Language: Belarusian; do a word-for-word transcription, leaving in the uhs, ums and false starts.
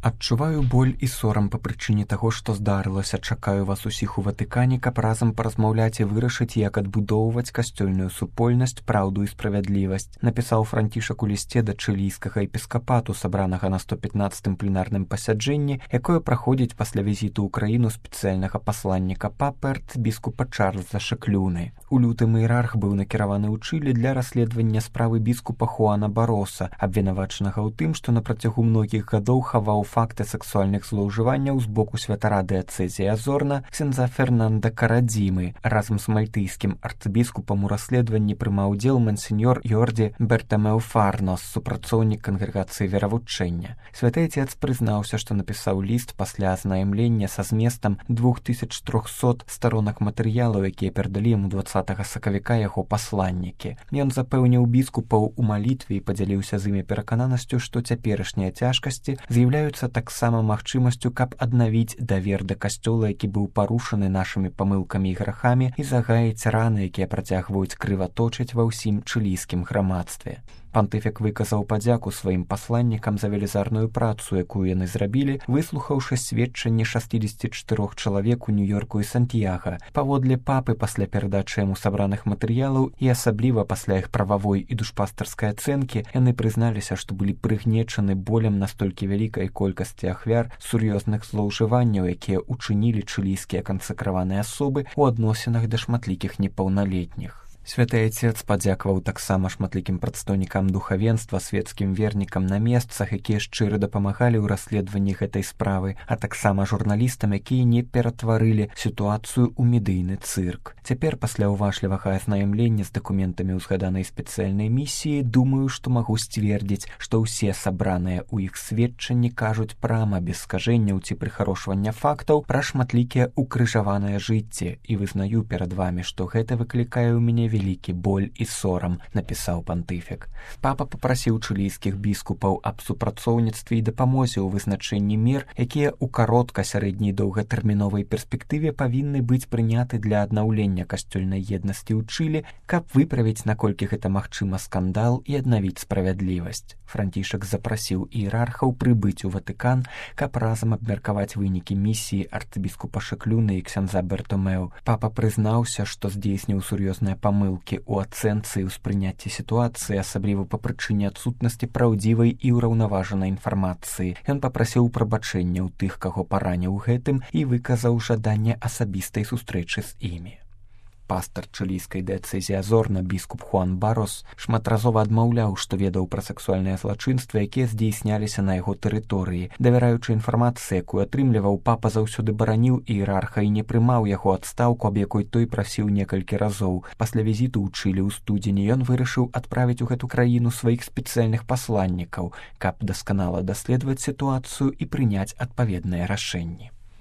Адчуваю боль і сорам па прычыне таго, што здарылася. Чакаю вас усіх у Ватыкане, каб разам паразмаўляць і вырашыць, як адбудоўваць касцёльную супольнасць, праўду і справядлівасць, напісаў Францішак у лісце да чылійскага епіскапату, сабранага на сто пятнаццатым пленарным пасяджэнні, якое праходзіць пасля візіту ў краіну спецыяльнага пасланніка папы арцыбіскупа Чарльза Шаклюны. У лютым іерарх быў накіраваны ў Чылі для расследавання справы біскупа Хуана Бароса, абвінавачанага ў тым, што на працягу многіх гадоў хаваў факты сексуальных злоўжыванняў з боку святара дыяцэзіі Азорна ксяндза Фернанда Карадзімы. Разам з мальтыйскім арцыбіскупам у расследаванні прымаў удзел мансеньор Йорді Бертамеў Фарнос, супрацоўнік кангрэгацыі веравучэння. Святы Отец прызнаўся, што напісаў ліст пасля азнаямлення са зместам двух тысяч трохсот старонак матэрыялаў, якія перадалі яму дваццатага сакавіка яго пасланнікі. Ён запэўніў біскупаў у малітве і падзяліўся з імі перакананасцю, што цяперашнія цяжкасці з'яўляюцца таксама магчымасцю, каб аднавіць давер да касцёла, які быў парушаны нашымі памылкамі і грахамі, і загаяць раны, якія працягваюць крываточыць ва ўсім чылійскім грамадстве. Пантыфік выказаў падзяку сваім пасланнікам за велізарную працу, якую яны зрабілі, выслухаўшы сведчанне шасцідзесяці чатырох чалавек у Нью-Йорку і Сантьяга. Паводле папы, пасля перадачы яму сабраных матэрыялаў і асабліва пасля іх прававой і душпастарскай ацэнкі, яны прызналіся, што былі прыгнечаны болем настолькі вялікай колькасці ахвяр сур'ёзных злоўжыванняў, якія учынілі чылійскія кансакраваныя асобы ў адносінах да шматлікіх непаўналетніх. Святы Отец падзякаваў таксама шматлікім прадстаўнікам духавенства, свецкім вернікам на месцах, якія шчыра дапамагалі ў расследаванні гэтай справы, а таксама журналістам, якія не ператварылі сітуацыю ў медыйны цырк. Цяпер, пасля ўважлівага азнаямлення з дакументамі ўзгаданай спецыяльнай місіі, думаю, што магу сцвердзіць, што ўсе сабраныя ў іх сведчанні кажуць прама, без скажэнняў ці прыхарошвання фактаў, пра шматлікія укрыжаваныя жыцці, і вызнаю перад вамі, што гэта выклікае ў мяне вялікі боль і сорам, напісаў пантыфік. Папа папрасіў чылійскіх біскупаў аб супрацоўніцтве і дапамозе ў вызначэнні мер, якія ў каротка-, сярэдняй і доўгатэрміновай перспектыве павінны быць прыняты для аднаўлення касцёльнай еднасці ў Чылі, каб выправіць, наколькі гэта магчыма, скандал і аднавіць справядлівасць. Францішак запрасіў іерархаў прыбыць у Ватыкан, каб разам абмеркаваць вынікі місіі арцыбіскупа Шаклюны і ксяндза Бертамеў. Папа прызнаўся, што здзейсніў сур'ёзныя памылкі ў ацэнцы і ўспрыняцці сітуацыі, асабліва па прычыне адсутнасці праўдзівай і ўраўнаважанай інфармацыі. Ён папрасіў прабачэння ў тых, каго параніў гэтым, і выказаў жаданне асабістай сустрэчы з імі. Пастар чылійскай дыяцэзіі Азорна, біскуп Хуан Барос, шматразова адмаўляў, што ведаў пра сексуальныя злачынствы, якія здзейсняліся на яго тэрыторыі. Давяраючы інфармацыі, якую атрымліваў, папа заўсёды бараніў іерарха і не прымаў яго адстаўку, аб якой той прасіў некалькі разоў. Пасля візіту ў Чылі ў студзені ён вырашыў адправіць у гэту краіну сваіх спецыяльных пасланнікаў, каб дасканала даследаваць сітуацыю і прыняць адпаведныя рашэнні.